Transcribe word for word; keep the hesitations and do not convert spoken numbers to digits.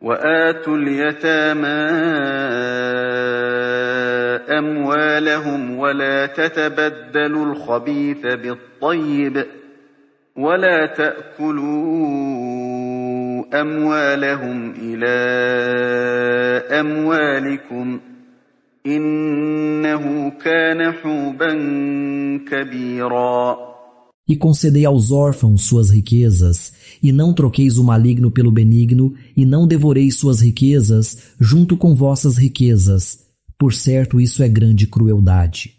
وآتوا اليتامى أموالهم ولا تتبدلوا الخبيث بالطيب ولا تأكلوا أموالهم إلى أموالكم إنه كان حوبا كبيرا. E concedei aos órfãos suas riquezas, e não troqueis o maligno pelo benigno, e não devoreis suas riquezas junto com vossas riquezas. Por certo, isso é grande crueldade.